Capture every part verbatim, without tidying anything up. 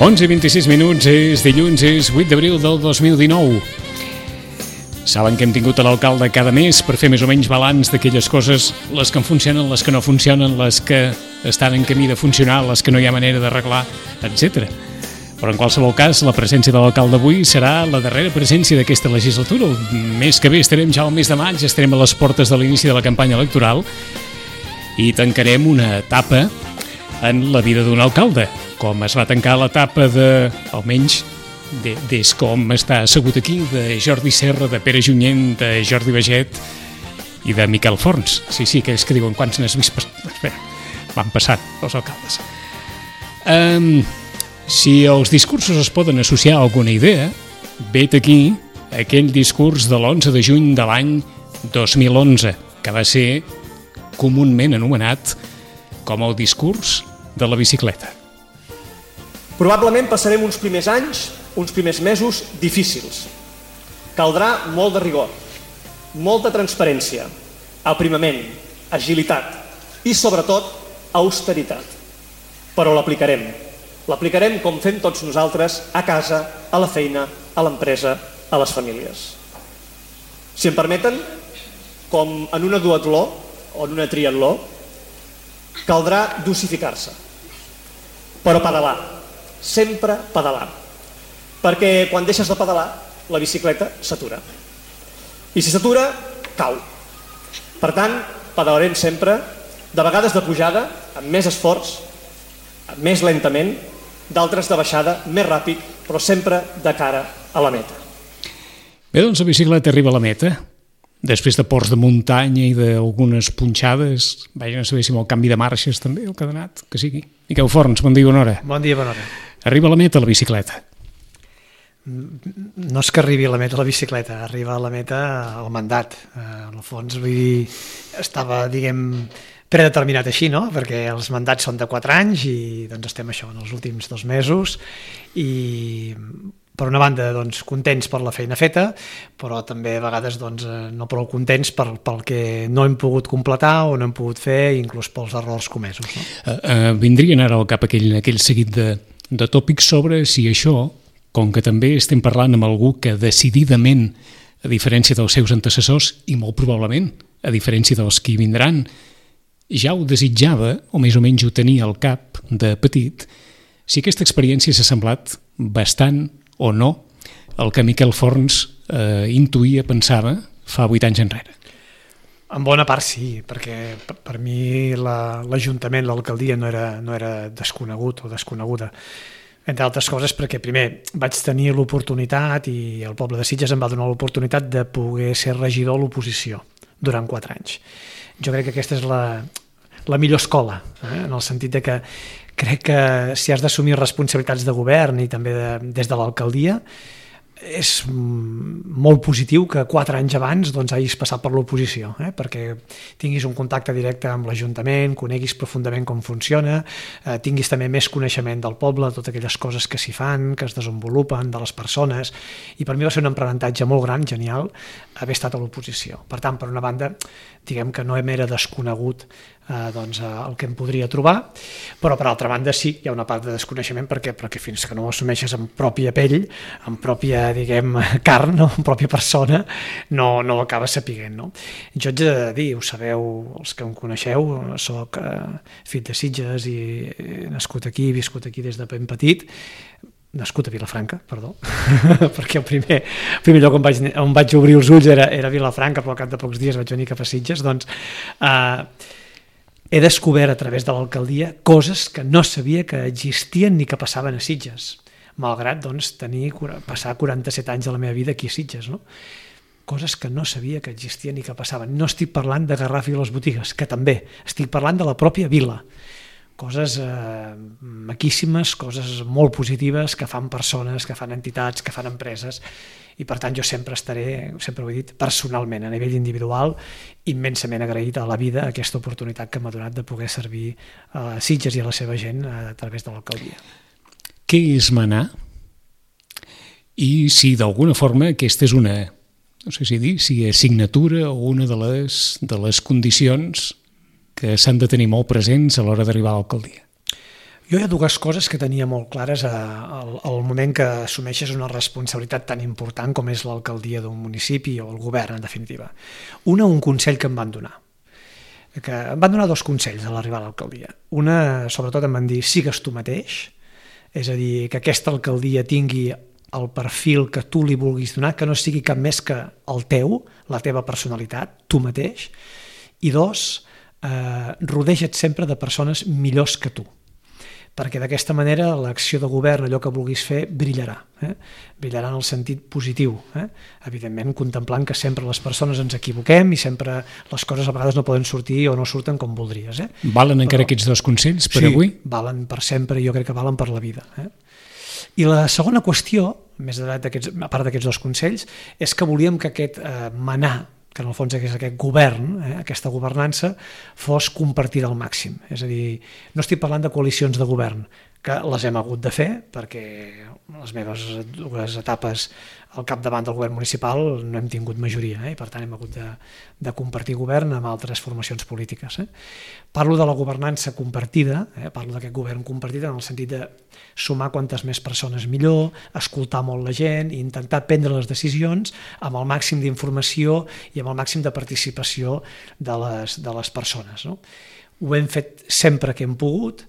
onze i vint-i-sis minuts, és dilluns, és vuit d'abril del dos mil dinou. Saben que hem tingut a l'alcalde cada mes per fer més o menys balanç d'aquelles coses, les que funcionen, les que no funcionen, les que estan en camí de funcionar, les que no hi ha manera d'arreglar, etcètera. Però en qualsevol cas, la presència de l'alcalde avui serà la darrera presència d'aquesta legislatura. El mes que ve estarem ja al mes de maig, estarem a les portes de l'inici de la campanya electoral i tancarem una etapa en la vida d'un alcalde, com es va tancar l'etapa de, almenys de, des com està assegut aquí, de Jordi Serra, de Pere Junyent, de Jordi Baget i de Miquel Forns. Sí, sí, aquells que diuen quants n'has vist... Espera, van passant els alcaldes. Um, si els discursos es poden associar a alguna idea, vet aquí aquell discurs de l'onze de juny de l'any dos mil onze, que va ser comunament anomenat com el discurs de la bicicleta. Probablement passarem uns primers anys, uns primers mesos difícils. Caldrà molt de rigor, molta transparència, aprimament, agilitat i, sobretot, austeritat. Però l'aplicarem. L'aplicarem com fem tots nosaltres a casa, a la feina, a l'empresa, a les famílies. Si em permeten, com en una duatló o en una triatló, caldrà dosificar-se, però pedalar. Sempre pedalar, perquè quan deixes de pedalar la bicicleta s'atura i si s'atura cau. Per tant, pedalarem sempre, de vegades de pujada amb més esforç, més lentament, d'altres de baixada més ràpid, però sempre de cara a la meta. Bé, doncs la bicicleta arriba a la meta després de ports de muntanya i d'algunes punxades. Vaja, no sabia si amb el canvi de marxes també el que ha donat, que sigui. Miquel Forns, bon dia, bona hora. Bon dia, bona hora. Arriba a la meta la bicicleta? No és que arribi a la meta la bicicleta, arriba a la meta el mandat. En el fons, vull dir, estava, diguem, predeterminat així, no? Perquè els mandats són de quatre anys i doncs estem això en els últims dos mesos i per una banda doncs, contents per la feina feta, però també a vegades doncs, no prou contents per, pel que no hem pogut completar o no hem pogut fer, inclús pels errors comesos. No? Uh, uh, vindrien ara al cap aquell, aquell seguit de, de tòpics sobre si això, com que també estem parlant amb algú que decididament, a diferència dels seus antecessors, i molt probablement, a diferència dels que hi vindran, ja ho desitjava, o més o menys ho tenia al cap de petit, si aquesta experiència s'ha semblat bastant o no el que Miquel Forns eh, intuïa, pensava, fa vuit anys enrere. En bona part sí, perquè per, per mi la, l'Ajuntament, l'alcaldia no era, no era desconegut o desconeguda. Entre altres coses perquè primer vaig tenir l'oportunitat i el poble de Sitges em va donar l'oportunitat de poder ser regidor a l'oposició durant quatre anys. Jo crec que aquesta és la, la millor escola, eh? En el sentit de que crec que si has d'assumir responsabilitats de govern i també de, des de l'alcaldia, és molt positiu que quatre anys abans doncs, hagis passat per l'oposició, eh? Perquè tinguis un contacte directe amb l'Ajuntament, coneguis profundament com funciona, eh, tinguis també més coneixement del poble, totes aquelles coses que s'hi fan, que es desenvolupen, de les persones, i per mi va ser un aprenentatge molt gran, genial, haver estat a l'oposició. Per tant, per una banda, diguem que no em era desconegut eh, doncs, el que em podria trobar, però per altra banda sí, hi ha una part de desconeixement perquè, perquè fins que no ho assumeixes en pròpia pell, en pròpia, diguem, carn, no? En pròpia persona, no, no ho acabes sapiguent, no? Jo haig de dir, ho sabeu, els que em coneixeu, soc eh, fill de Sitges i he nascut aquí, he viscut aquí des de ben petit, nascut a Vilafranca, perdó, perquè el primer, el primer lloc on vaig, on vaig obrir els ulls era, era Vilafranca, però al cap de pocs dies vaig venir cap a Sitges, doncs eh, he descobert a través de l'alcaldia coses que no sabia que existien ni que passaven a Sitges, malgrat doncs, tenir, passar quaranta-set anys de la meva vida aquí a Sitges, no? Coses que no sabia que existien ni que passaven. No estic parlant de Garraf i les botigues, que també, estic parlant de la pròpia vila. Coses eh, maquíssimes, coses molt positives que fan persones, que fan entitats, que fan empreses, i per tant jo sempre estaré, sempre ho he dit, personalment, a nivell individual, immensament agraït a la vida aquesta oportunitat que m'ha donat de poder servir a Sitges i a la seva gent a través de l'alcaldia. Què és manar? I si d'alguna forma aquesta és una, no sé si dir, si és assignatura o una de les, de les condicions que s'han de tenir molt presents a l'hora d'arribar a l'alcaldia. Jo hi ha dues coses que tenia molt clares al, al moment que assumeixes una responsabilitat tan important com és l'alcaldia d'un municipi o el govern, en definitiva. Una, un consell que em van donar. Que em van donar dos consells a l'arribar a l'alcaldia. Una, sobretot, em van dir, sigues tu mateix, és a dir, que aquesta alcaldia tingui el perfil que tu li vulguis donar, que no sigui cap més que el teu, la teva personalitat, tu mateix. I dos, eh, rodeja't sempre de persones millors que tu, perquè d'aquesta manera l'acció de govern, allò que vulguis fer, brillarà. Eh? Brillarà en el sentit positiu. Eh? Evidentment, contemplant que sempre les persones ens equivoquem i sempre les coses a vegades no poden sortir o no surten com voldries. Eh? Valen encara Però, aquests dos consells per sí, avui? Sí, valen per sempre i jo crec que valen per la vida. Eh? I la segona qüestió, més a part d'aquests dos consells, és que volíem que aquest eh, manar, que en el fons és aquest govern, eh, aquesta governança, fos compartida al màxim. És a dir, no estic parlant de coalicions de govern, que les hem hagut de fer, perquè les meves dues etapes al capdavant del govern municipal no hem tingut majoria, eh, i per tant hem hagut de, de compartir govern amb altres formacions polítiques. Eh. Parlo de la governança compartida, eh, parlo d'aquest govern compartit en el sentit de sumar quantes més persones millor, escoltar molt la gent i intentar prendre les decisions amb el màxim d'informació i amb el màxim de participació de les, de les persones. No? Ho hem fet sempre que hem pogut,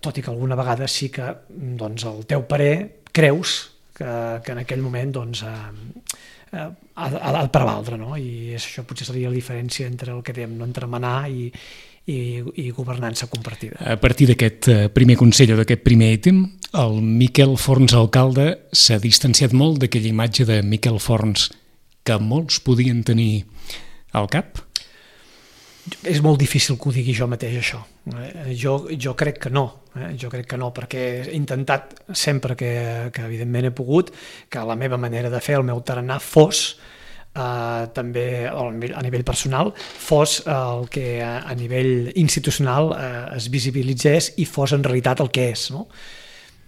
tot i que alguna vegada sí que doncs, el teu parer creus que, que en aquell moment doncs, eh, ha, ha de prevaldre, no? I això potser seria la diferència entre el que dèiem, no? Entre manar i, i, i governança compartida. A partir d'aquest primer consell o d'aquest primer ítem, el Miquel Forns alcalde s'ha distanciat molt d'aquella imatge de Miquel Forns que molts podien tenir al cap? És molt difícil que ho digui jo mateix, això. Jo, jo crec que no, eh? jo crec que no, perquè he intentat sempre que, que evidentment he pogut, que la meva manera de fer, el meu tarannà, fos eh, també a nivell personal, fos el que a nivell institucional eh, es visibilitzés i fos en realitat el que és, no?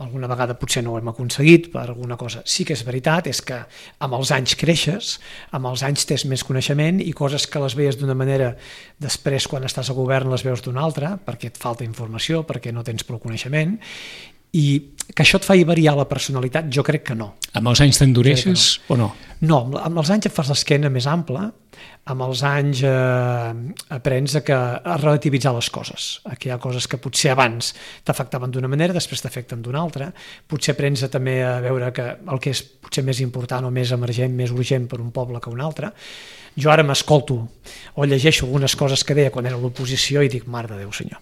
Alguna vegada potser no ho hem aconseguit per alguna cosa. Sí que és veritat, és que amb els anys creixes, amb els anys tens més coneixement i coses que les veies d'una manera, després quan estàs al govern les veus d'una altra, perquè et falta informació, perquè no tens prou coneixement, i que això et fa variar la personalitat, jo crec que no. Amb els anys t'endureixes o no? No, amb els anys et fas l'esquena més ampla, amb els anys eh, aprens a, que, a relativitzar les coses, que hi ha coses que potser abans t'afectaven d'una manera, després t'afecten d'una altra, potser aprens a, també a veure que el que és potser més important o més emergent, més urgent per un poble que un altre. Jo ara m'escolto o llegeixo algunes coses que deia quan era a l'oposició i dic, mare de Déu senyor,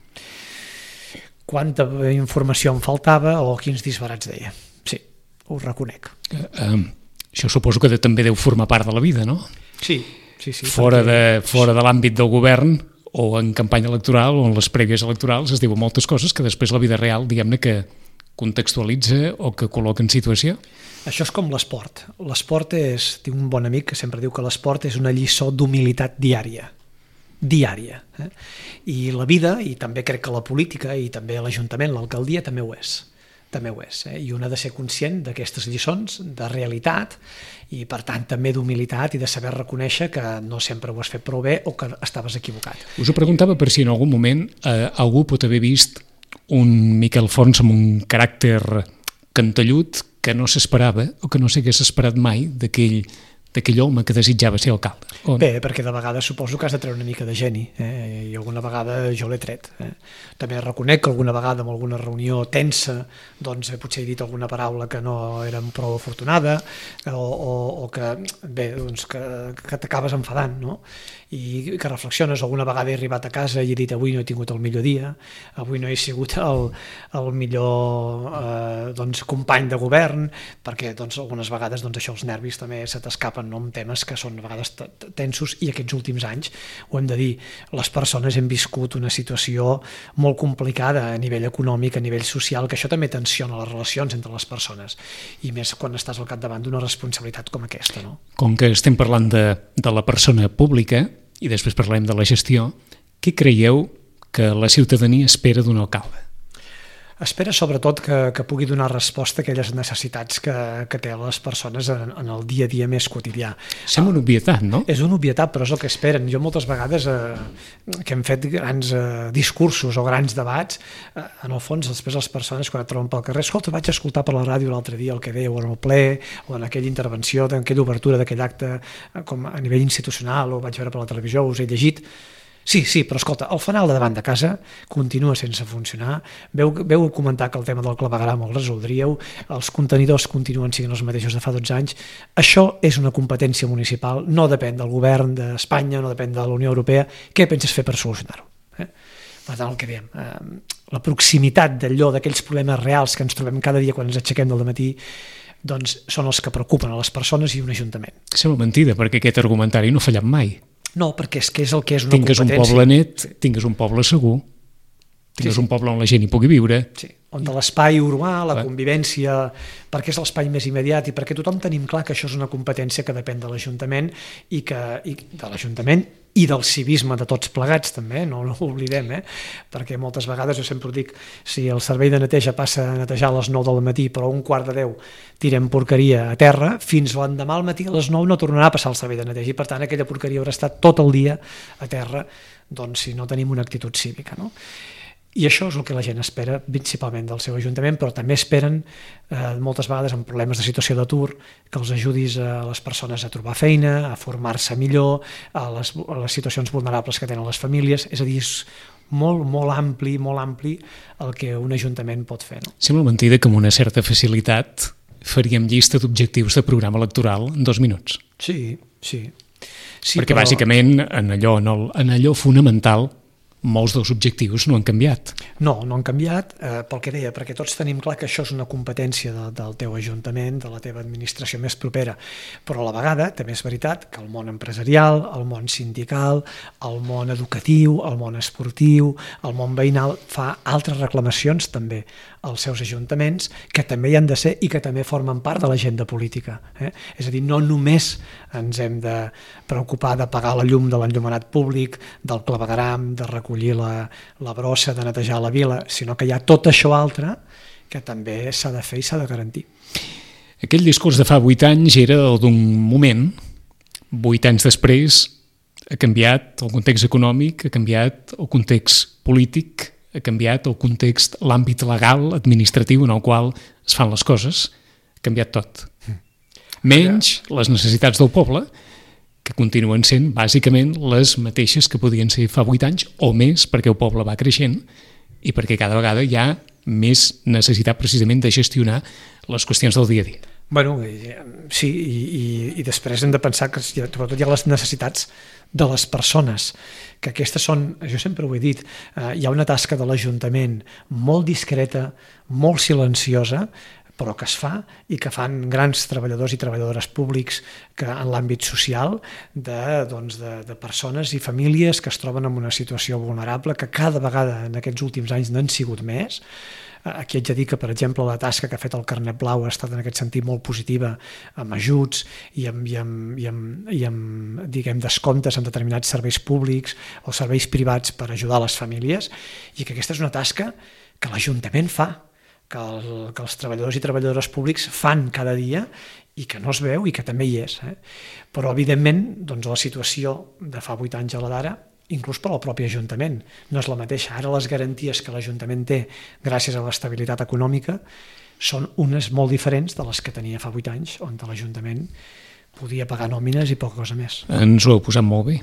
quanta informació em faltava o quins disbarats deia. Sí, ho reconec. Uh, um, això suposo que també deu formar part de la vida, no? Sí, sí, sí. Fora, perquè... de, fora de l'àmbit del govern o en campanya electoral o en les prèvies electorals es diuen moltes coses que després la vida real, diguem-ne, que contextualitza o que col·loca en situació. Això és com l'esport. L'esport és, tinc un bon amic que sempre diu que l'esport és una lliçó d'humilitat diària. diària. Eh? I la vida, i també crec que la política, i també l'Ajuntament, l'alcaldia, també ho és. També ho és. Eh? I un ha de ser conscient d'aquestes lliçons, de realitat, i per tant també d'humilitat i de saber reconèixer que no sempre ho has fet prou bé o que estaves equivocat. Us ho preguntava per si en algun moment eh, algú pot haver vist un Miquel Forns amb un caràcter cantellut que no s'esperava o que no s'hagués esperat mai d'aquell d'aquell home que desitjava ser alcalde. O... Bé, perquè de vegades suposo que has de treure una mica de geni, eh? I alguna vegada jo l'he tret. Eh? També reconec que alguna vegada en alguna reunió tensa doncs potser he dit alguna paraula que no era prou afortunada o, o, o que, bé, doncs que, que t'acabes enfadant, no? I que reflexiones, alguna vegada he arribat a casa i he dit avui no he tingut el millor dia, avui no he sigut el, el millor eh, doncs, company de govern, perquè doncs, algunes vegades doncs, això els nervis també se t'escapen, no? Amb temes que són a vegades tensos i aquests últims anys, ho hem de dir, les persones hem viscut una situació molt complicada a nivell econòmic, a nivell social, que això també tensiona les relacions entre les persones i més quan estàs al capdavant d'una responsabilitat com aquesta, no? Com que estem parlant de, de la persona pública i després parlem de la gestió, què creieu que la ciutadania espera d'un alcalde? Espera sobretot que, que pugui donar resposta a aquelles necessitats que, que té les persones en, en el dia a dia més quotidià. Sembla una obvietat, no? És una obvietat, però és el que esperen. Jo moltes vegades eh, que hem fet grans eh, discursos o grans debats, eh, en el fons després les persones quan et troben pel carrer, escolta, vaig escoltar per la ràdio l'altre dia el que dèieu en el ple o en aquella intervenció, en aquella obertura d'aquell acte eh, com a nivell institucional, o vaig veure per la televisió, us he llegit. Sí, sí, però escolta, el fanal de davant de casa continua sense funcionar, veu, veu comentar que el tema del clavegram el resoldríeu, els contenidors continuen sent els mateixos de fa dotze anys, això és una competència municipal, no depèn del govern d'Espanya, no depèn de la Unió Europea, què penses fer per solucionar-ho? Eh? Per tant, el que diem, eh, la proximitat d'allò, d'aquells problemes reals que ens trobem cada dia quan ens aixequem del matí, doncs són els que preocupen a les persones i un ajuntament. Sembla mentida, perquè aquest argumentari no ha fallat mai. No, perquè és que és el que és una tingues competència. Tingues un poble net, tingues un poble segur, tingues sí, sí. un poble on la gent hi pugui viure. Sí, on l'espai urbà, la Clar. convivència, perquè és l'espai més immediat i perquè tothom tenim clar que això és una competència que depèn de l'Ajuntament i que i de l'Ajuntament i del civisme de tots plegats també, no, no ho oblidem, eh? Perquè moltes vegades jo sempre dic, si el servei de neteja passa a netejar a les nou del matí però a un quart de deu tirem porqueria a terra, fins l'endemà al matí a les nou no tornarà a passar el servei de neteja i per tant aquella porqueria haurà estat tot el dia a terra, doncs si no tenim una actitud cívica, no? I això és el que la gent espera principalment del seu ajuntament, però també esperen eh, moltes vegades en problemes de situació d'atur que els ajudis a les persones a trobar feina, a formar-se millor, a les, a les situacions vulnerables que tenen les famílies, és a dir, és molt, molt ampli, molt ampli el que un ajuntament pot fer. No? Sembla mentida que amb una certa facilitat faríem llista d'objectius de programa electoral en dos minuts. Sí, sí. sí Perquè però... bàsicament en allò, en, el, en allò fonamental molts dels objectius no han canviat. No, no han canviat, eh, pel que deia, perquè tots tenim clar que això és una competència de, del teu ajuntament, de la teva administració més propera, però a la vegada també és veritat que el món empresarial, el món sindical, el món educatiu, el món esportiu, el món veïnal fa altres reclamacions també als seus ajuntaments que també hi han de ser i que també formen part de l'agenda política. Eh? És a dir, no només ens hem de preocupar de pagar la llum de l'enllumenat públic, del clavegram, de recollir la, la brossa, de netejar la vila, sinó que hi ha tot això altre que també s'ha de fer i s'ha de garantir. Aquell discurs de fa vuit anys era el d'un moment, vuit anys després ha canviat el context econòmic, ha canviat el context polític, ha canviat el context, l'àmbit legal, administratiu en el qual es fan les coses, ha canviat tot. Menys les necessitats del poble, que continuen sent bàsicament les mateixes que podien ser fa vuit anys o més, perquè el poble va creixent i perquè cada vegada hi ha més necessitat precisament de gestionar les qüestions del dia a dia. Bueno, sí, i, i, i després hem de pensar que sobretot hi ha les necessitats de les persones, que aquestes són, jo sempre ho he dit, eh, hi ha una tasca de l'Ajuntament molt discreta, molt silenciosa, però que es fa i que fan grans treballadors i treballadores públics que en l'àmbit social de, doncs, de, de persones i famílies que es troben en una situació vulnerable que cada vegada en aquests últims anys n'han sigut més. Aquí haig de dir que, per exemple, la tasca que ha fet el Carnet Blau ha estat en aquest sentit molt positiva, amb ajuts i amb, i amb, i amb, i amb diguem, descomptes en determinats serveis públics o serveis privats per ajudar les famílies, i que aquesta és una tasca que l'Ajuntament fa, que, el, que els treballadors i treballadores públics fan cada dia i que no es veu i que també hi és. Eh? Però, evidentment, doncs, la situació de fa vuit anys a la d'ara, inclús per al propi Ajuntament, no és la mateixa. Ara les garanties que l'Ajuntament té gràcies a l'estabilitat econòmica són unes molt diferents de les que tenia fa vuit anys, on l'Ajuntament podia pagar nòmines i poca cosa més. Ens ho heu posat molt bé.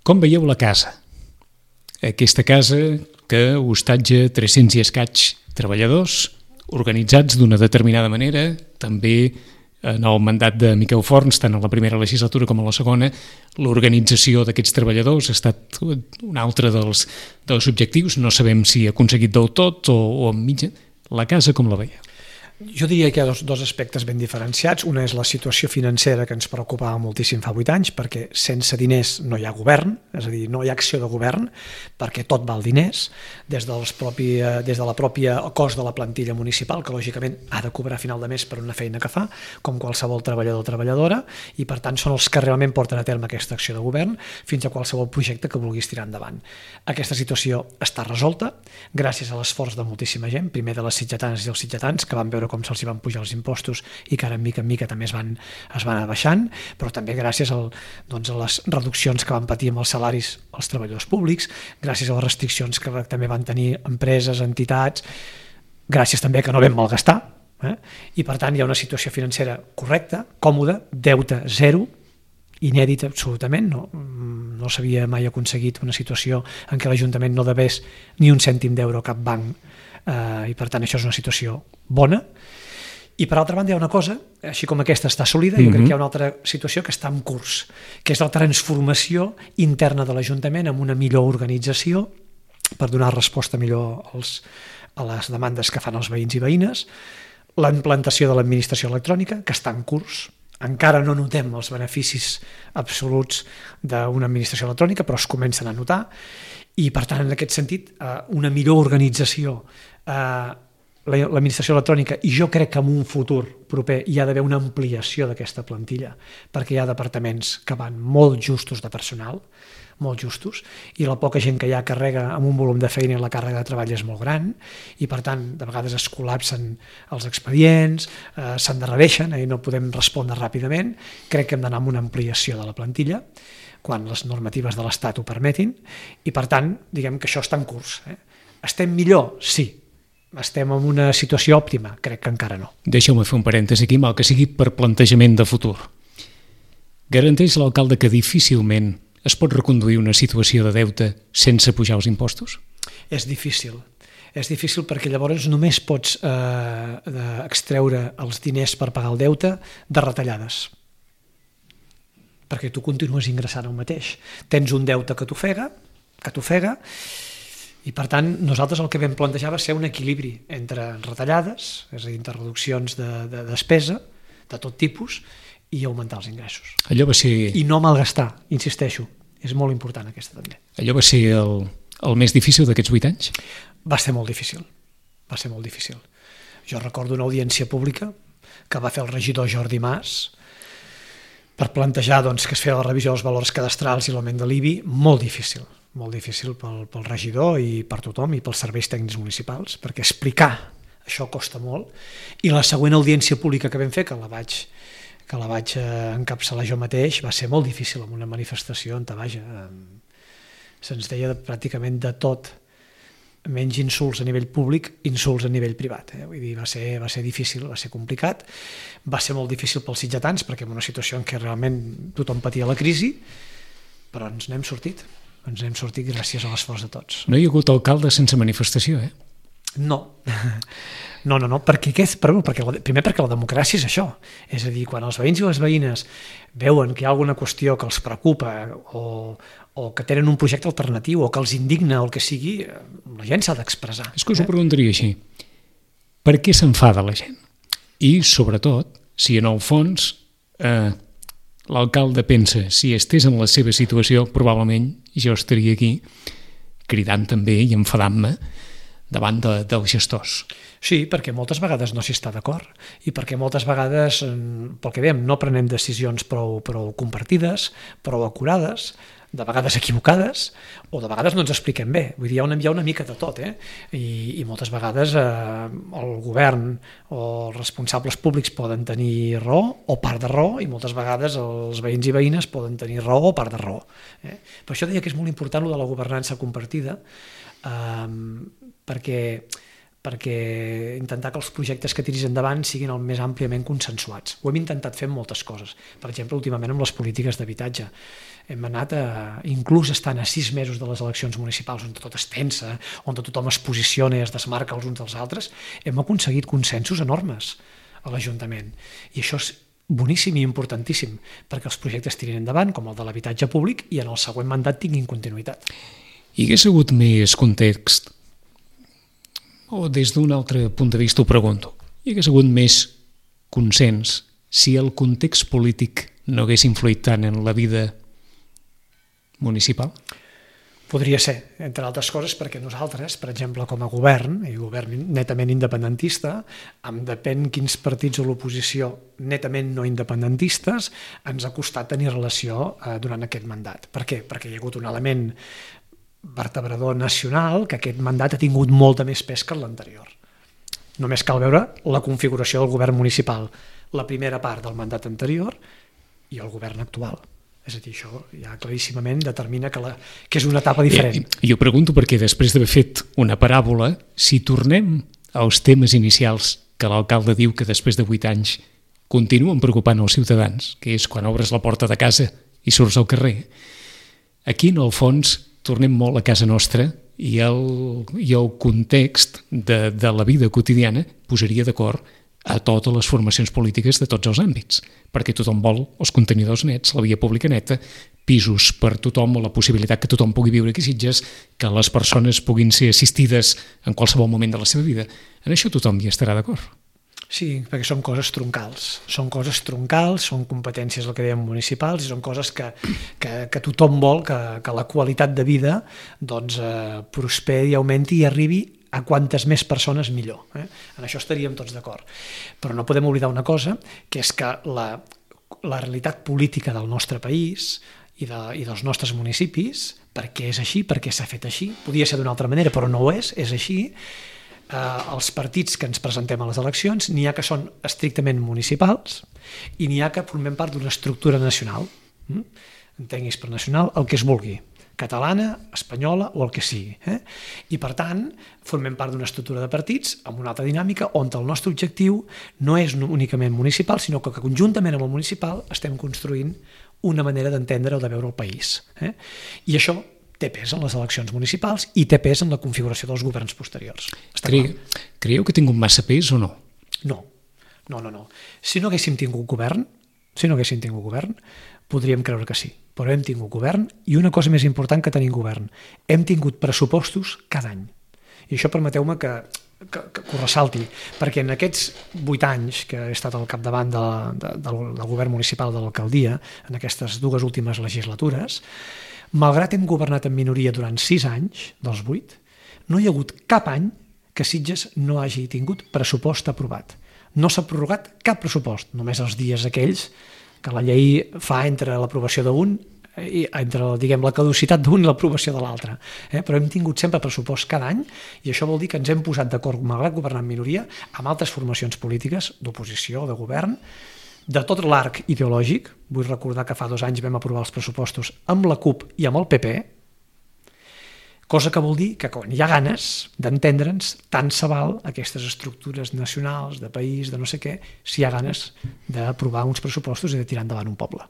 Com veieu la casa? Aquesta casa que hostatja tres-cents i escaig treballadors organitzats d'una determinada manera, també en el mandat de Miquel Forns, tant en la primera legislatura com en la segona, l'organització d'aquests treballadors ha estat un altre dels, dels objectius. No sabem si ha aconseguit del tot o, o en mitja. La casa com la veieu? Jo diria que hi ha dos, dos aspectes ben diferenciats. Una és la situació financera, que ens preocupava moltíssim fa vuit anys, perquè sense diners no hi ha govern, és a dir, no hi ha acció de govern, perquè tot val diners, des, dels propi, des de la pròpia cost de la plantilla municipal, que lògicament ha de cobrar a final de mes per una feina que fa, com qualsevol treballador o treballadora, i per tant són els que realment porten a terme aquesta acció de govern, fins a qualsevol projecte que vulguis tirar endavant. Aquesta situació està resolta gràcies a l'esforç de moltíssima gent, primer de les sitgetanes i els sitgetans, que van veure com se'ls van pujar els impostos i que ara mica en mica també es van, es van abaixant, però també gràcies al, doncs, a les reduccions que van patir amb els salaris als treballadors públics, gràcies a les restriccions que també van tenir empreses, entitats, gràcies també que no vam malgastar, eh? I per tant hi ha una situació financera correcta, còmoda, deute zero, inèdit absolutament, no, no s'havia mai aconseguit una situació en què l'Ajuntament no devés ni un cèntim d'euro a cap banc, Uh, i per tant això és una situació bona. I per altra banda hi ha una cosa, així com aquesta està sòlida, mm-hmm. jo crec que hi ha una altra situació que està en curs, que és la transformació interna de l'Ajuntament amb una millor organització per donar resposta millor als, a les demandes que fan els veïns i veïnes, la implantació de l'administració electrònica, que està en curs. Encara no notem els beneficis absoluts d'una administració electrònica, però es comencen a notar, i per tant en aquest sentit una millor organització, l'administració electrònica, i jo crec que en un futur proper hi ha d'haver una ampliació d'aquesta plantilla, perquè hi ha departaments que van molt justos de personal, molt justos, i la poca gent que hi ha carrega amb un volum de feina i la càrrega de treball és molt gran, i per tant de vegades es col·lapsen els expedients, eh, s'endarrereixen i no podem respondre ràpidament. Crec que hem d'anar amb una ampliació de la plantilla quan les normatives de l'Estat ho permetin, i per tant diguem que això està en curs. Eh? Estem millor? Sí. Estem en una situació òptima? Crec que encara no. Deixeu-me fer un parèntesi aquí, mal que sigui per plantejament de futur. Garanteix l'alcalde que difícilment es pot reconduir una situació de deute sense pujar els impostos? És difícil. És difícil perquè llavors només pots eh, extreure els diners per pagar el deute de retallades. Perquè tu continues ingressant el mateix. Tens un deute que t'ofega, que t'ofega, i per tant nosaltres el que vam plantejar va ser un equilibri entre retallades, és a dir, entre reduccions de, de despesa de tot tipus, i augmentar els ingressos. Allò va ser... I no malgastar, insisteixo, és molt important aquesta també. Allò va ser el, el més difícil d'aquests vuit anys? Va ser molt difícil, va ser molt difícil. Jo recordo una audiència pública que va fer el regidor Jordi Mas per plantejar doncs, que es feia la revisió dels valors cadastrals i l'augment de l'I B I, molt difícil, molt difícil pel, pel regidor i per tothom i pels serveis tècnics municipals, perquè explicar això costa molt, i la següent audiència pública que vam fer, que la vaig, que la vaig encapçalar jo mateix, va ser molt difícil, en una manifestació on vaja, se'ns deia pràcticament de tot, menys insults a nivell públic, insults a nivell privat. Eh? Vull dir, va ser, va ser difícil, va ser complicat, va ser molt difícil pels sitgetans, perquè en una situació en què realment tothom patia la crisi, però ens n'hem sortit, ens n'hem sortit gràcies a l'esforç de tots. No hi ha hagut alcalde sense manifestació, eh? No, no, no, no. Perquè, perquè, primer perquè la democràcia és això, és a dir, quan els veïns i les veïnes veuen que hi ha alguna qüestió que els preocupa o, o que tenen un projecte alternatiu o que els indigna o el que sigui, la gent s'ha d'expressar. És que us ho preguntaria així, per què s'enfada la gent? I sobretot, si en el fons eh, l'alcalde pensa, si estés en la seva situació, probablement jo estaria aquí cridant també i enfadant-me davant de, dels gestors. Sí, perquè moltes vegades no s'hi està d'acord i perquè moltes vegades, pel que dèiem, no prenem decisions prou, prou compartides, prou acurades, de vegades equivocades, o de vegades no ens expliquem bé. Vull dir, hi ha una, hi ha una mica de tot, eh? I, i moltes vegades eh, el govern o els responsables públics poden tenir raó o part de raó, i moltes vegades els veïns i veïnes poden tenir raó o part de raó. Eh? Per això deia que és molt important lo de la governança compartida, eh, perquè, perquè intentar que els projectes que tiris endavant siguin el més àmpliament consensuats. Ho hem intentat fer amb moltes coses. Per exemple, últimament amb les polítiques d'habitatge. Hem anat a, inclús estant a sis mesos de les eleccions municipals, on tot es tensa, on tothom es posiciona i es desmarca els uns dels altres, hem aconseguit consensos enormes a l'Ajuntament. I això és boníssim i importantíssim perquè els projectes tirin endavant, com el de l'habitatge públic, i en el següent mandat tinguin continuïtat. Hi hagués hagut més context, o des d'un altre punt de vista ho pregunto, hi hagués hagut més consens si el context polític no hagués influït tant en la vida municipal? Podria ser, entre altres coses, perquè nosaltres, per exemple, com a govern, i govern netament independentista, amb depèn quins partits a l'oposició netament no independentistes, ens ha costat tenir relació eh, durant aquest mandat. Per què? Perquè hi ha hagut un element vertebrador nacional que aquest mandat ha tingut molta més pes que l'anterior. Només cal veure la configuració del govern municipal, la primera part del mandat anterior i el govern actual. És a dir, això ja claríssimament determina que, la, que és una etapa diferent. Eh, jo pregunto perquè després d'haver fet una paràbola, si tornem als temes inicials que l'alcalde diu que després de vuit anys continuen preocupant els ciutadans, que és quan obres la porta de casa i surts al carrer, aquí en el fons tornem molt a casa nostra i el, i el context de, de la vida quotidiana posaria d'acord a totes les formacions polítiques de tots els àmbits, perquè tothom vol els contenidors nets, la via pública neta, pisos per tothom o la possibilitat que tothom pugui viure aquí a Sitges, que les persones puguin ser assistides en qualsevol moment de la seva vida. En això tothom hi estarà d'acord. Sí, perquè són coses troncals. Són coses troncals, són competències, el que dèiem, municipals, i són coses que, que, que tothom vol que, que la qualitat de vida doncs, eh, prosperi, augmenti i arribi a quantes més persones millor. Eh? En això estaríem tots d'acord. Però no podem oblidar una cosa, que és que la, la realitat política del nostre país i, de, i dels nostres municipis, perquè és així, perquè s'ha fet així, podia ser d'una altra manera, però no ho és, és així, eh, els partits que ens presentem a les eleccions n'hi ha que són estrictament municipals i n'hi ha que formem part d'una estructura nacional. Mm? Entenguis per nacional el que es vulgui, catalana, espanyola o el que sigui. Eh? I per tant, formem part d'una estructura de partits amb una altra dinàmica on el nostre objectiu no és únicament municipal, sinó que conjuntament amb el municipal estem construint una manera d'entendre o de veure el país. Eh? I això té pes en les eleccions municipals i té pes en la configuració dels governs posteriors. Cre... Creieu que ha tingut massa pes o no? No, no, no, no. Si no haguéssim tingut govern, si no haguéssim tingut govern, podríem creure que sí, però hem tingut govern i una cosa més important que tenim govern, hem tingut pressupostos cada any. I això permeteu-me que, que, que ho ressalti, perquè en aquests vuit anys que he estat al capdavant de, de, del, del govern municipal de l'alcaldia, en aquestes dues últimes legislatures, malgrat hem governat en minoria durant sis anys, dels vuit, no hi ha hagut cap any que Sitges no hagi tingut pressupost aprovat. No s'ha prorrogat cap pressupost, només els dies aquells que la llei fa entre l'aprovació d'un i entre, diguem, la caducitat d'un i l'aprovació de l'altre. Eh? Però hem tingut sempre pressupost cada any i això vol dir que ens hem posat d'acord, malgrat governar en minoria, amb altres formacions polítiques, d'oposició o de govern, de tot l'arc ideològic. Vull recordar que fa dos anys vam aprovar els pressupostos amb la CUP i amb el P P, cosa que vol dir que quan hi ha ganes d'entendre'ns, tant se val aquestes estructures nacionals, de país, de no sé què, si hi ha ganes d'aprovar uns pressupostos i de tirar endavant un poble.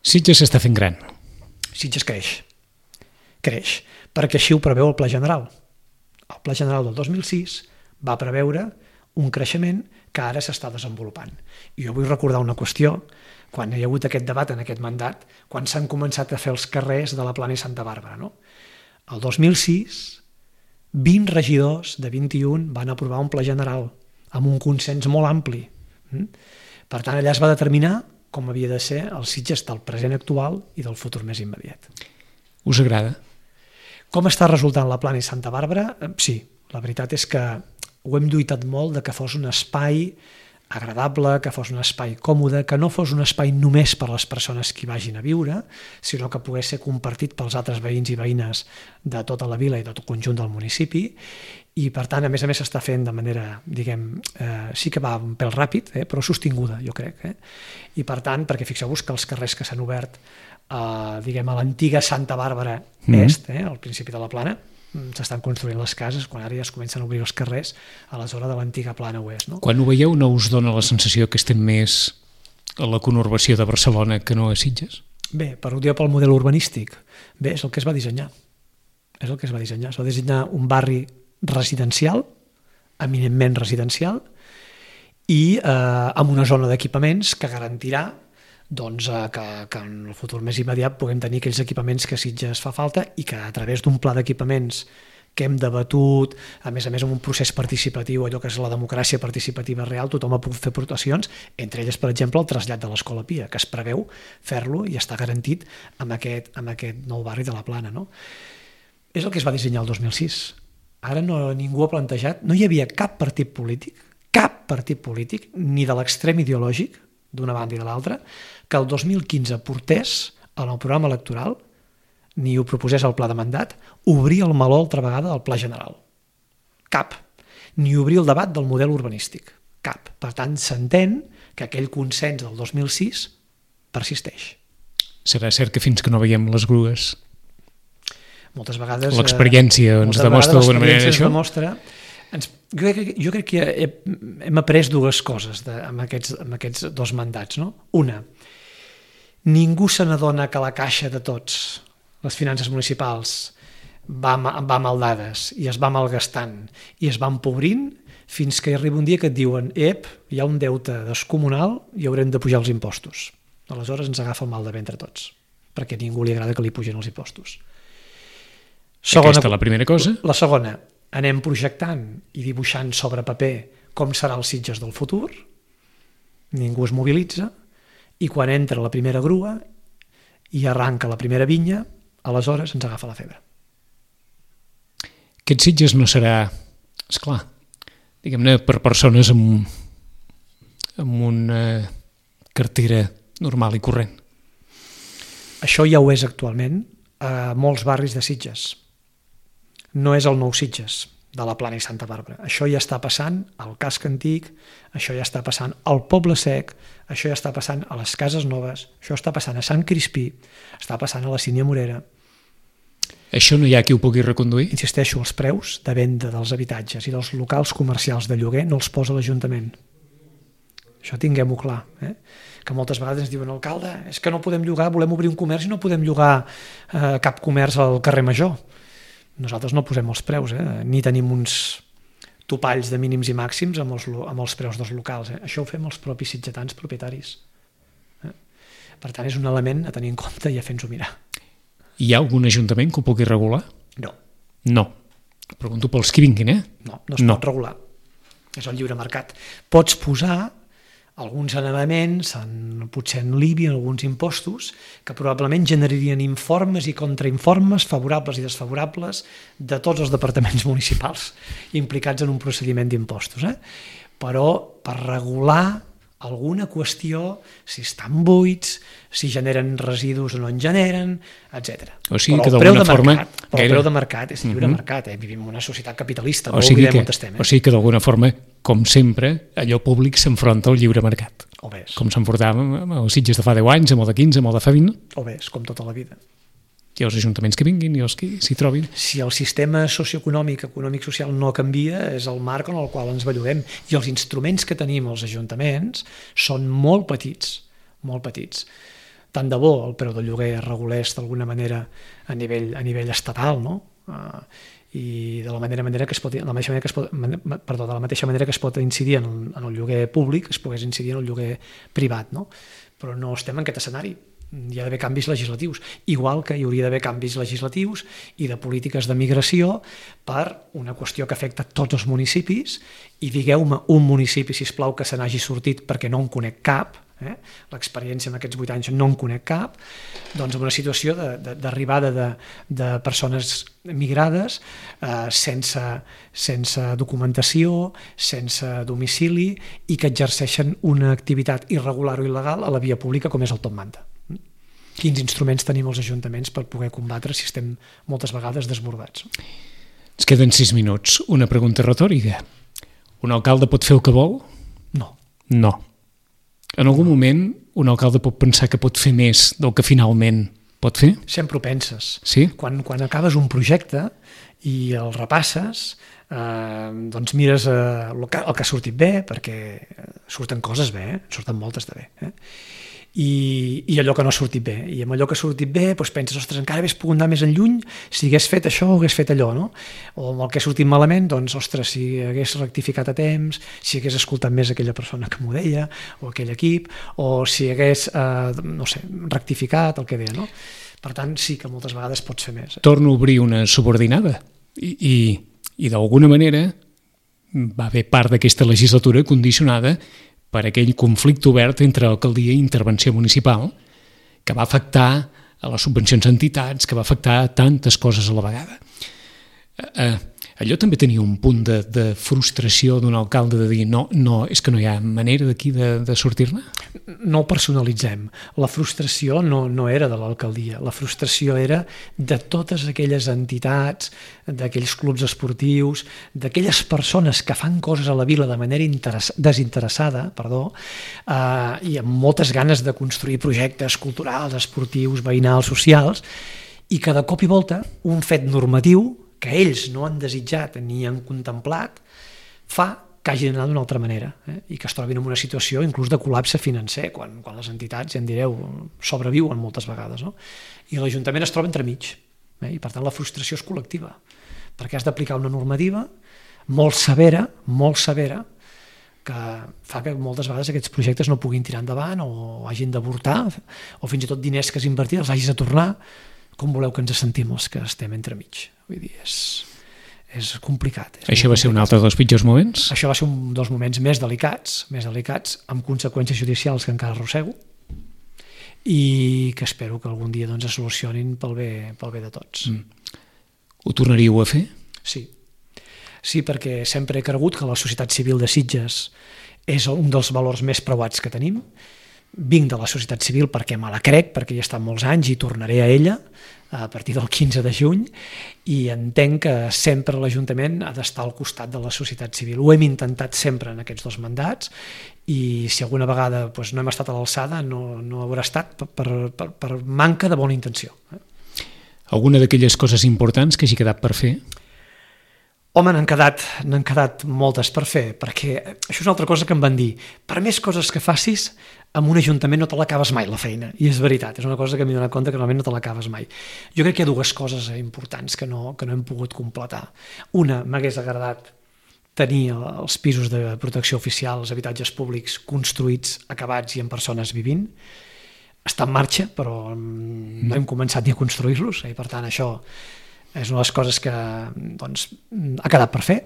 Sitges s'està fent gran. Sitges creix. Creix, perquè així ho preveu el Pla General. El Pla General del dos mil sis va preveure un creixement que ara s'està desenvolupant. I jo vull recordar una qüestió, quan hi ha hagut aquest debat en aquest mandat, quan s'han començat a fer els carrers de la Plana i Santa Bàrbara, no? El dos mil sis, vint regidors de vint-i-un van aprovar un pla general amb un consens molt ampli. Per tant, allà es va determinar com havia de ser el Sitges del present actual i del futur més immediat. Us agrada? Com està resultant la Plana i Santa Bàrbara? Sí, la veritat és que ho hem lluitat molt de que fos un espai agradable, que fos un espai còmode, que no fos un espai només per a les persones que hi vagin a viure, sinó que pogués ser compartit pels altres veïns i veïnes de tota la vila i de tot el conjunt del municipi, i per tant, a més a més, s'està fent de manera, diguem, eh, sí que va un pèl ràpid, eh, però sostinguda, jo crec. Eh? I per tant, perquè fixeu-vos que els carrers que s'han obert eh, diguem, a l'antiga Santa Bàrbara mm. Est, eh, al principi de la Plana, s'estan construint les cases, quan ara ja es comencen a obrir els carrers a la zona de l'antiga Plana Oest. No? Quan ho veieu, no us dona la sensació que estem més a la conurbació de Barcelona que no a Sitges? Bé, per ho dir pel model urbanístic, bé, és el que es va dissenyar. És el que es va dissenyar. Es va dissenyar un barri residencial, eminentment residencial, i eh, amb una zona d'equipaments que garantirà doncs, eh, que, que en el futur més immediat puguem tenir aquells equipaments que a Sitges fa falta i que a través d'un pla d'equipaments que hem debatut, a més a més amb un procés participatiu, allò que és la democràcia participativa real, tothom ha pogut fer aportacions, entre elles, per exemple, el trasllat de l'Escola Pia, que es preveu fer-lo i està garantit amb aquest, amb aquest nou barri de la Plana. No? És el que es va dissenyar el dos mil sis. Ara no, ningú ha plantejat, no hi havia cap partit polític, cap partit polític, ni de l'extrem ideològic, d'una banda i de l'altra, que el dos mil quinze portés en el programa electoral, ni ho proposés al pla de mandat, obrir el meló altra vegada del pla general. Cap. Ni obrir el debat del model urbanístic. Cap. Per tant, s'entén que aquell consens del dos mil sis persisteix. Serà cert que fins que no veiem les grues moltes vegades... L'experiència ens demostra d'alguna manera això? Demostra, ens, jo, crec, jo crec que he, hem après dues coses de, amb, aquests, amb aquests dos mandats. No? Una, ningú se n'adona que la caixa de tots, les finances municipals, va, va mal dades i es va malgastant i es va empobrint fins que arriba un dia que et diuen ep, hi ha un deute descomunal i haurem de pujar els impostos. Aleshores ens agafa el mal de ventre tots, perquè a ningú li agrada que li pugen els impostos. Segona, Aquesta és la primera cosa. La segona, anem projectant i dibuixant sobre paper com serà el Sitges del futur, ningú es mobilitza, i quan entra la primera grua i arranca la primera vinya, aleshores ens agafa la febre. Aquest Sitges no serà, esclar, diguem-ne, per persones amb, amb una cartera normal i corrent. Això ja ho és actualment a molts barris de Sitges. No és el nou Sitges de la Plana i Santa Bàrbara. Això ja està passant al casc antic, això ja està passant al Poble Sec, això ja està passant a les Cases Noves, això està passant a Sant Crispí, està passant a la Sínia Morera. Això no hi ha qui ho pugui reconduir? Insisteixo, els preus de venda dels habitatges i dels locals comercials de lloguer no els posa l'Ajuntament. Això tinguem-ho clar. Eh? Que moltes vegades ens diuen, alcalde, és que no podem llogar, volem obrir un comerç i no podem llogar eh, cap comerç al carrer Major. Nosaltres no posem els preus, eh? Ni tenim uns topalls de mínims i màxims amb els, amb els preus dels locals. Eh? Això ho fem els propis sitgetans propietaris. Eh? Per tant, és un element a tenir en compte i a fer-nos-ho mirar. Hi ha algun ajuntament que ho pugui regular? No. No. Pregunto pels que vinguin, eh? No, no es no. pot regular. És el lliure mercat. Pots posar alguns elements, en, potser en l'I B I, en alguns impostos, que probablement generarien informes i contrainformes favorables i desfavorables de tots els departaments municipals implicats en un procediment d'impostos. Eh? Però per regular alguna qüestió, si estan buits, si generen residus o no en generen, etcètera. O sigui però que d'alguna forma... Mercat, però gaire... el preu de mercat és lliure uh -huh. mercat, eh? Vivim en una societat capitalista, o no sigui oblidem que, on estem. Eh? O sigui que d'alguna forma, com sempre, allò públic s'enfronta al lliure mercat. O bé. Com s'enfrontava amb els Sitges de fa deu anys, amb el de quinze, amb el de fa vint. O bé, com tota la vida. I els ajuntaments que vinguin i els que s'hi trobin. Si el sistema socioeconòmic, econòmic-social no canvia, és el marc en el qual ens belluguem. I els instruments que tenim els ajuntaments són molt petits, molt petits. Tant de bo el preu del lloguer es regulés d'alguna manera a nivell, a nivell estatal, no? Uh, i de la manera, manera que es pot, de la mateixa manera que es pot, perdó, de la mateixa manera que es pot incidir en el, en el lloguer públic, es pogués incidir en el lloguer privat, no? Però no estem en aquest escenari. Hi ha d'haver canvis legislatius, igual que hi hauria d'haver canvis legislatius i de polítiques de migració per una qüestió que afecta tots els municipis, i digueu-me un municipi, sisplau, que se n'hagi sortit, perquè no en conec cap, eh? L'experiència en aquests vuit anys no en conec cap, doncs en una situació d'arribada de, de, de persones migrades eh, sense, sense documentació, sense domicili, i que exerceixen una activitat irregular o il·legal a la via pública, com és el top manta. Quins instruments tenim els ajuntaments per poder combatre si estem moltes vegades desbordats? Ens queden sis minuts. Una pregunta retòrica. Un alcalde pot fer el que vol? No. No. En algun moment un alcalde pot pensar que pot fer més del que finalment pot fer? Sempre ho penses. Sí? Quan, quan acabes un projecte i el repasses, eh, doncs mires eh, el, que, el que ha sortit bé, perquè surten coses bé, eh? Surten moltes de bé. Eh? I, i allò que no ha sortit bé. I amb allò que ha sortit bé doncs penses, ostres, encara hagués pogut anar més enlluny si hagués fet això o hagués fet allò, no? O amb el que ha sortit malament, doncs, ostres, si hagués rectificat a temps, si hagués escoltat més aquella persona que m'ho deia, o aquell equip, o si hagués, eh, no sé, rectificat el que deia, no? Per tant, sí que moltes vegades pots fer més. Eh? Torno a obrir una subordinada. I, i, i d'alguna manera va haver part d'aquesta legislatura condicionada per aquell conflicte obert entre alcaldia i intervenció municipal que va afectar a les subvencions a entitats, que va afectar a tantes coses a la vegada. Eh, allò també tenia un punt de, de frustració d'un alcalde de dir no, no, és que no hi ha manera d'aquí de, de sortir-ne? No ho personalitzem. La frustració no, no era de l'alcaldia, la frustració era de totes aquelles entitats, d'aquells clubs esportius, d'aquelles persones que fan coses a la vila de manera desinteressada, perdó, eh, i amb moltes ganes de construir projectes culturals, esportius, veïnals, socials, i que de cop i volta un fet normatiu que ells no han desitjat ni han contemplat, fa que hagin d'anar d'una altra manera, eh? I que es trobin en una situació inclús de col·lapse financer, quan, quan les entitats, ja en direu, sobreviuen moltes vegades, no? I l'Ajuntament es troba entremig, eh? I per tant la frustració és col·lectiva, perquè has d'aplicar una normativa molt severa, molt severa, que fa que moltes vegades aquests projectes no puguin tirar endavant o hagin d'avortar, o fins i tot diners que has invertit els hagis de tornar. Com voleu que ens sentim els que estem entremig? Vull dir, és, és complicat. És Això va ser un altre dels pitjors moments? Això va ser un dels moments més delicats, més delicats, amb conseqüències judicials que encara arrossego i que espero que algun dia doncs, es solucionin pel bé, pel bé de tots. Mm. Ho tornaríeu a fer? Sí. Sí, perquè sempre he cregut que la societat civil de Sitges és un dels valors més preuats que tenim. Vinc de la societat civil perquè me la crec, perquè hi he estat molts anys i tornaré a ella a partir del quinze de juny i entenc que sempre l'Ajuntament ha d'estar al costat de la societat civil. Ho hem intentat sempre en aquests dos mandats i si alguna vegada doncs, no hem estat a l'alçada no, no haurà estat per, per, per manca de bona intenció. Alguna d'aquelles coses importants que hagi quedat per fer? Home, n'han quedat, n'han quedat moltes per fer, perquè això és una altra cosa que em van dir. Per més coses que facis, amb un ajuntament no te l'acabes mai, la feina. I és veritat, és una cosa que m'he donat compte que realment no te l'acabes mai. Jo crec que hi ha dues coses importants que no, que no hem pogut completar. Una, m'hagués agradat tenir els pisos de protecció oficial, els habitatges públics construïts, acabats i amb persones vivint. Està en marxa, però no hem començat ni a construir-los, i per tant això és una de les coses que doncs, ha quedat per fer.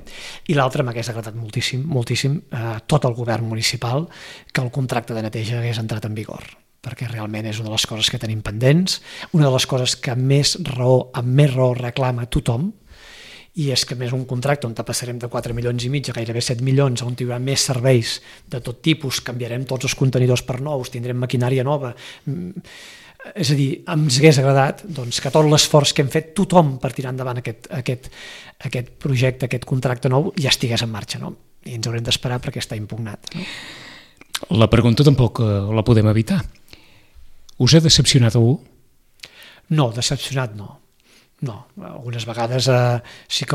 I l'altra m'hagués agradat moltíssim, moltíssim eh, tot el govern municipal que el contracte de neteja hagués entrat en vigor, perquè realment és una de les coses que tenim pendents, una de les coses que més raó, amb més raó reclama tothom, i és que més un contracte on passarem de quatre milions i mig a gairebé set milions, on hi haurà més serveis de tot tipus, canviarem tots els contenidors per nous, tindrem maquinària nova. És a dir, ens hagués agradat doncs, que tot l'esforç que hem fet tothom per tirar endavant aquest, aquest, aquest projecte, aquest contracte nou, ja estigués en marxa, no? I ens haurem d'esperar perquè està impugnat. No? La pregunta tampoc la podem evitar. Us ha decepcionat algú? No, decepcionat no. No, algunes vegades eh, sí que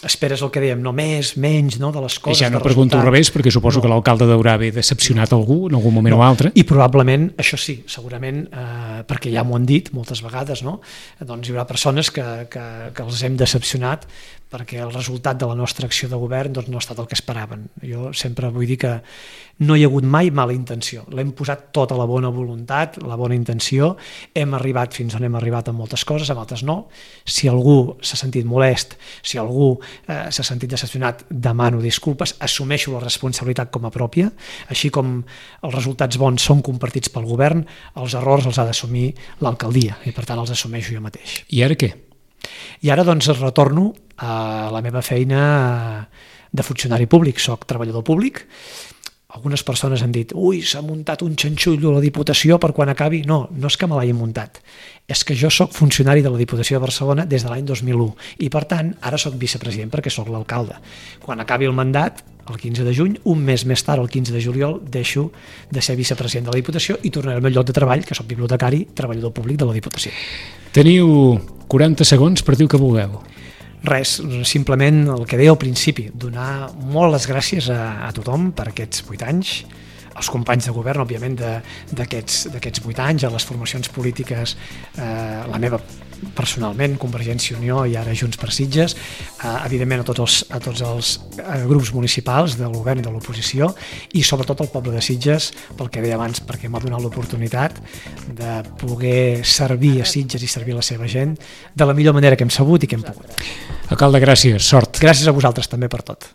esperes el que dèiem, no més, menys, no, de les coses. I ja no pregunto al revés, perquè suposo no. que l'alcalde d'haurà haver decepcionat algú en algun moment no. o altre. I probablement, això sí, segurament, eh, perquè ja m'ho han dit moltes vegades, no? Doncs hi haurà persones que, que, que els hem decepcionat perquè el resultat de la nostra acció de govern doncs, no ha estat el que esperaven. Jo sempre vull dir que no hi ha hagut mai mala intenció. L'hem posat tota la bona voluntat, la bona intenció, hem arribat fins on hem arribat amb moltes coses, amb altres no. Si algú s'ha sentit molest, si algú eh, s'ha sentit decepcionat, demano disculpes, assumeixo la responsabilitat com a pròpia, així com els resultats bons són compartits pel govern, els errors els ha d'assumir l'alcaldia i per tant els assumeixo jo mateix. I ara què? I ara doncs retorno a la meva feina de funcionari públic, soc treballador públic. Algunes persones han dit, ui, s'ha muntat un xanxullo a la Diputació per quan acabi. No, no és que me l'hagi muntat, és que jo soc funcionari de la Diputació de Barcelona des de l'any dos mil u i per tant ara soc vicepresident perquè soc l'alcalde. Quan acabi el mandat, el quinze de juny, un mes més tard, el quinze de juliol, deixo de ser vicepresident de la Diputació i tornaré al meu lloc de treball, que soc bibliotecari, treballador públic de la Diputació. Teniu quaranta segons per dir el que vulgueu. Res, simplement el que deia al principi, donar molt les gràcies a, a tothom per aquests vuit anys, als companys de govern, òbviament, d'aquests vuit anys, a les formacions polítiques, eh, la meva personalment, Convergència i Unió i ara Junts per Sitges, eh, evidentment a tots els, a tots els eh, grups municipals del govern i de l'oposició i sobretot al poble de Sitges, pel que deia abans, perquè m'ha donat l'oportunitat de poder servir a Sitges i servir a la seva gent de la millor manera que hem sabut i que hem pogut. Alcalde, gràcies, sort. Gràcies a vosaltres també per tot.